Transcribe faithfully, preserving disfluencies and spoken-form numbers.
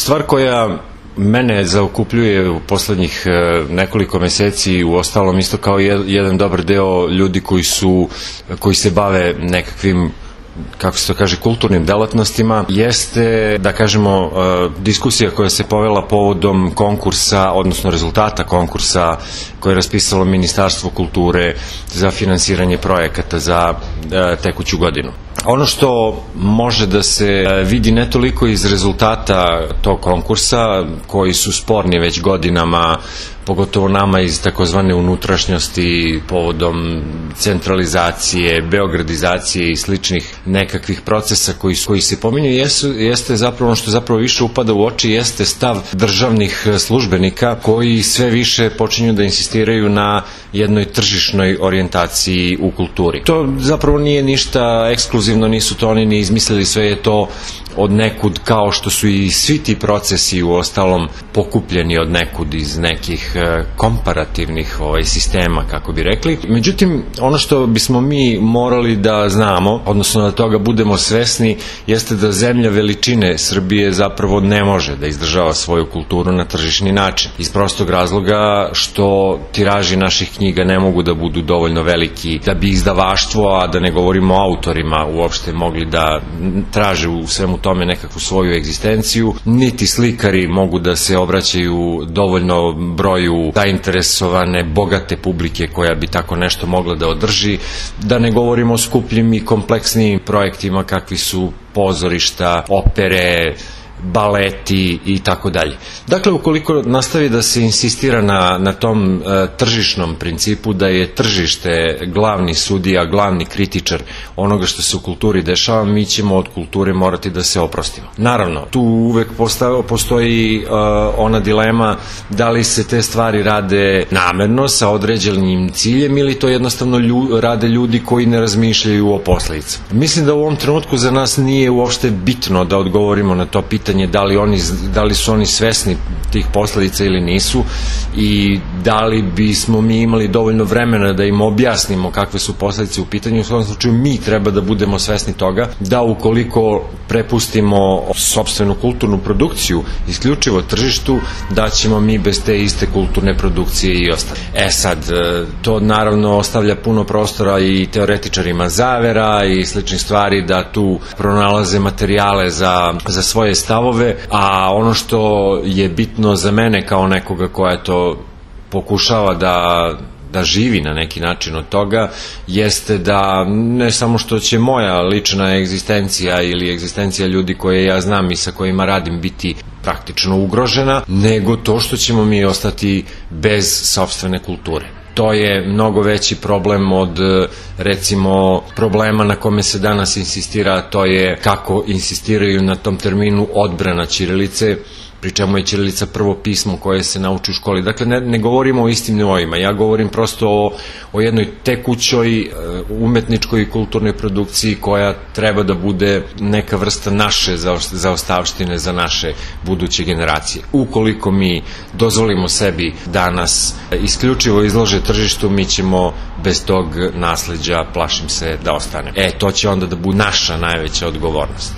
Stvar koja mene zaokupljuje u poslednjih nekoliko meseci, u ostalom isto kao jedan dobar deo ljudi koji su, koji se bave nekakvim, kako se to kaže, kulturnim delatnostima, jeste, da kažemo, diskusija koja se povela povodom konkursa, odnosno rezultata konkursa koje je raspisalo Ministarstvo kulture za finansiranje projekata za tekuću godinu. Ono što može da se vidi ne toliko iz rezultata tog konkursa, koji su sporni već godinama, pogotovo nama iz takozvane unutrašnjosti, povodom centralizacije, beogradizacije i sličnih nekakvih procesa koji, koji se pominju, jeste zapravo ono što zapravo više upada u oči, jeste stav državnih službenika koji sve više počinju da insistiraju na jednoj tržišnoj orijentaciji u kulturi. To zapravo nije ništa ekskluzivno, nisu to oni ni izmislili, sve je to od nekud, kao što su i svi ti procesi u ostalom pokupljeni od nekud iz nekih komparativnih ovaj, sistema, kako bi rekli. Međutim, ono što bismo mi morali da znamo, odnosno da toga budemo svesni, jeste da zemlja veličine Srbije zapravo ne može da izdržava svoju kulturu na tržišni način. Iz prostog razloga što tiraži naših knjiga ne mogu da budu dovoljno veliki da bi izdavaštvo, a da ne govorimo o autorima, uopšte mogli da traže u svemu tome nekakvu svoju egzistenciju, niti slikari mogu da se obraćaju dovoljno broju zainteresovane, bogate publike koja bi tako nešto mogla da održi, da ne govorimo o skupljim i kompleksnijim projektima kakvi su pozorišta, opere, baleti i tako dalje. Dakle, ukoliko nastavi da se insistira na, na tom e, tržišnom principu, da je tržište glavni sudija, glavni kritičar onoga što se u kulturi dešava, mi ćemo od kulture morati da se oprostimo. Naravno, tu uvek postav, postoji e, ona dilema da li se te stvari rade namerno, sa određenim ciljem, ili to jednostavno lju, rade ljudi koji ne razmišljaju o posledicama. Mislim da u ovom trenutku za nas nije uopšte bitno da odgovorimo na to pitanje Da li, oni, da li su oni svesni tih posledica ili nisu, i da li bismo mi imali dovoljno vremena da im objasnimo kakve su posledice u pitanju. U svakom slučaju mi treba da budemo svesni toga da ukoliko prepustimo sopstvenu kulturnu produkciju isključivo tržištu, da ćemo mi bez te iste kulturne produkcije i ostati. E sad, to naravno ostavlja puno prostora i teoretičarima zavera i sličnih stvari da tu pronalaze materijale za, za svoje stavove, a ono što je bitno za mene kao nekoga koja to pokušava da da živi na neki način od toga, jeste da ne samo što će moja lična egzistencija ili egzistencija ljudi koje ja znam i sa kojima radim biti praktično ugrožena, nego to što ćemo mi ostati bez sopstvene kulture. To je mnogo veći problem od, recimo, problema na kome se danas insistira, to je kako insistiraju na tom terminu odbrana ćirilice, pri čemu je ćirilica prvo pismo koje se nauči u školi. Dakle, ne, ne govorimo o istim nivoima, ja govorim prosto o, o jednoj tekućoj umetničkoj i kulturnoj produkciji koja treba da bude neka vrsta naše zaostavštine za naše buduće generacije. Ukoliko mi dozvolimo sebi da nas isključivo izlože tržištu, mi ćemo bez tog nasleđa, plašim se, da ostane. E, to će onda da bude naša najveća odgovornost.